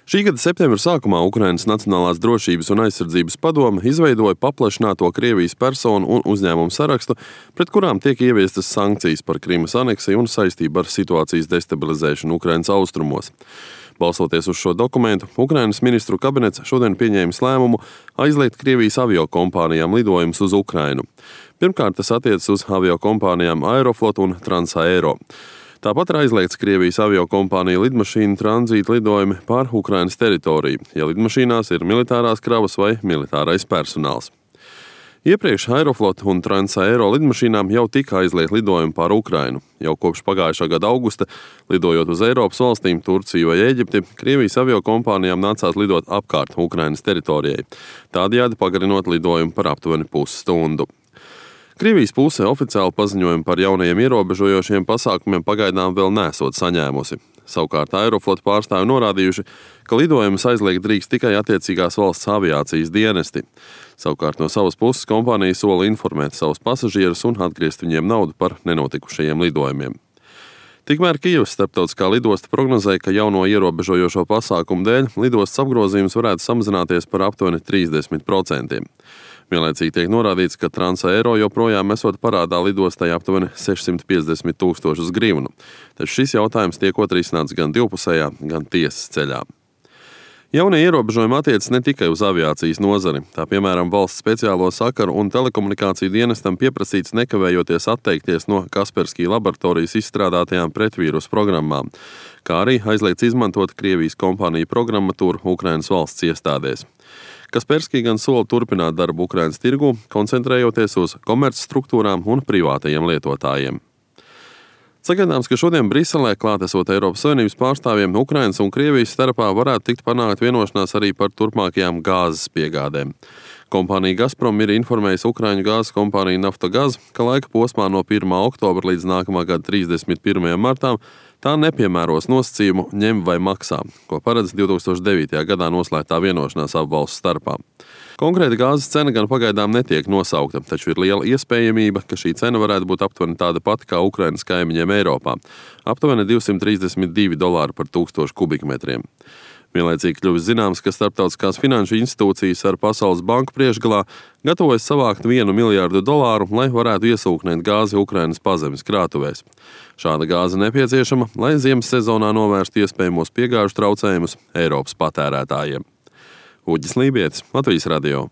Šī gada septembra sākumā Ukrainas Nacionālās drošības un aizsardzības padome izveidoja paplašināto Krievijas personu un uzņēmumu sarakstu, pret kurām tiek ieviestas sankcijas par Krimas aneksiju un saistību ar situācijas destabilizēšanu Ukrainas austrumos. Balstoties uz šo dokumentu, Ukrainas ministru kabinets šodien pieņēmis lēmumu aizliegt Krievijas aviokompānijām lidojumus uz Ukrainu. Pirmkārt, tas attiecas uz aviokompānijām Aeroflot un Transaero. Tāpat ir aizliegts Krievijas aviokompāniju lidmašīnu tranzīta lidojumi pār Ukrainas teritoriju, ja lidmašīnās ir militārās kravas vai militārais personāls. Iepriekš Aeroflot un Transaero lidmašīnām jau tika aizliegt lidojumi pār Ukrainu. Jau kopš pagājušā gada augusta, lidojot uz Eiropas valstīm, Turciju vai Ēģipti, Krievijas aviokompānijām nācās lidot apkārt Ukrainas teritorijai, tādējādi pagarinot lidojumu par aptuveni pusstundu. Krievijas puse oficiāli paziņojumu par jaunajiem ierobežojošiem pasākumiem pagaidām vēl nesot saņēmusi. Savukārt Aeroflot pārstāvi norādījuši, ka lidojumus aizliegt drīkst tikai attiecīgās valsts aviācijas dienesti. Savukārt no savas puses kompānija sola informēt savus pasažierus un atgriezt viņiem naudu par nenotikušajiem lidojumiem. Tikmēr Kijevas starptautiskā lidosta prognozēja, ka jauno ierobežojošo pasākumu dēļ lidostas apgrozījums varētu samazināties par aptuveni 30%. Vienlaicīgi tiek norādīts, ka Transaero joprojām esot parādā lidostai aptuveni 650 000 grivnu, taču šis jautājums tiekot risināts gan divpusējā, gan tiesas ceļā. Jaunie ierobežojumi attiecas ne tikai uz aviācijas nozari, tā piemēram valsts speciālo sakaru un telekomunikāciju dienestam pieprasīts nekavējoties atteikties no Kaspersky laboratorijas izstrādātajām pretvīrusu programmām, kā arī aizliegts izmantot Krievijas kompāniju programmatūru Ukrainas valsts iestādēs. Kaspersky gan sola turpināt darbu Ukrainas tirgu, koncentrējoties uz komercstruktūrām un privātajiem lietotājiem. Sagaidāms, ka šodien Briselē klātesot Eiropas Savienības pārstāvjiem Ukrainas un Krievijas starpā varētu tikt panākt vienošanās arī par turpmākajām gāzes piegādēm. Kompānija Gazprom ir informējusi Ukraiņu gāzes kompāniju Naftogaz, ka laika posmā no 1. oktobra līdz nākamā gada 31. martām tā nepiemēros nosacījumu ņem vai maksā, ko paredz 2009. gadā noslēgtā vienošanās abu valstu starpā. Konkrēta gāzes cena gan pagaidām netiek nosaukta, taču ir liela iespējamība, ka šī cena varētu būt aptuveni tāda pati kā Ukrainas kaimiņiem Eiropā – aptuveni $232 par 1000 kubikmetriem. Vienlaicīgi kļuvis zināms, ka starptautiskās finanšu institūcijas ar Pasaules banku priekšgalā gatavojas savākt $1 miljardu, lai varētu iesūknēt gāzi Ukrainas pazemes krātuvēs. Šāda gāze nepieciešama, lai ziemas sezonā novērstu iespējamos piegāžu traucējumus Eiropas patērētājiem. Uģis Lībietis, Latvijas radio.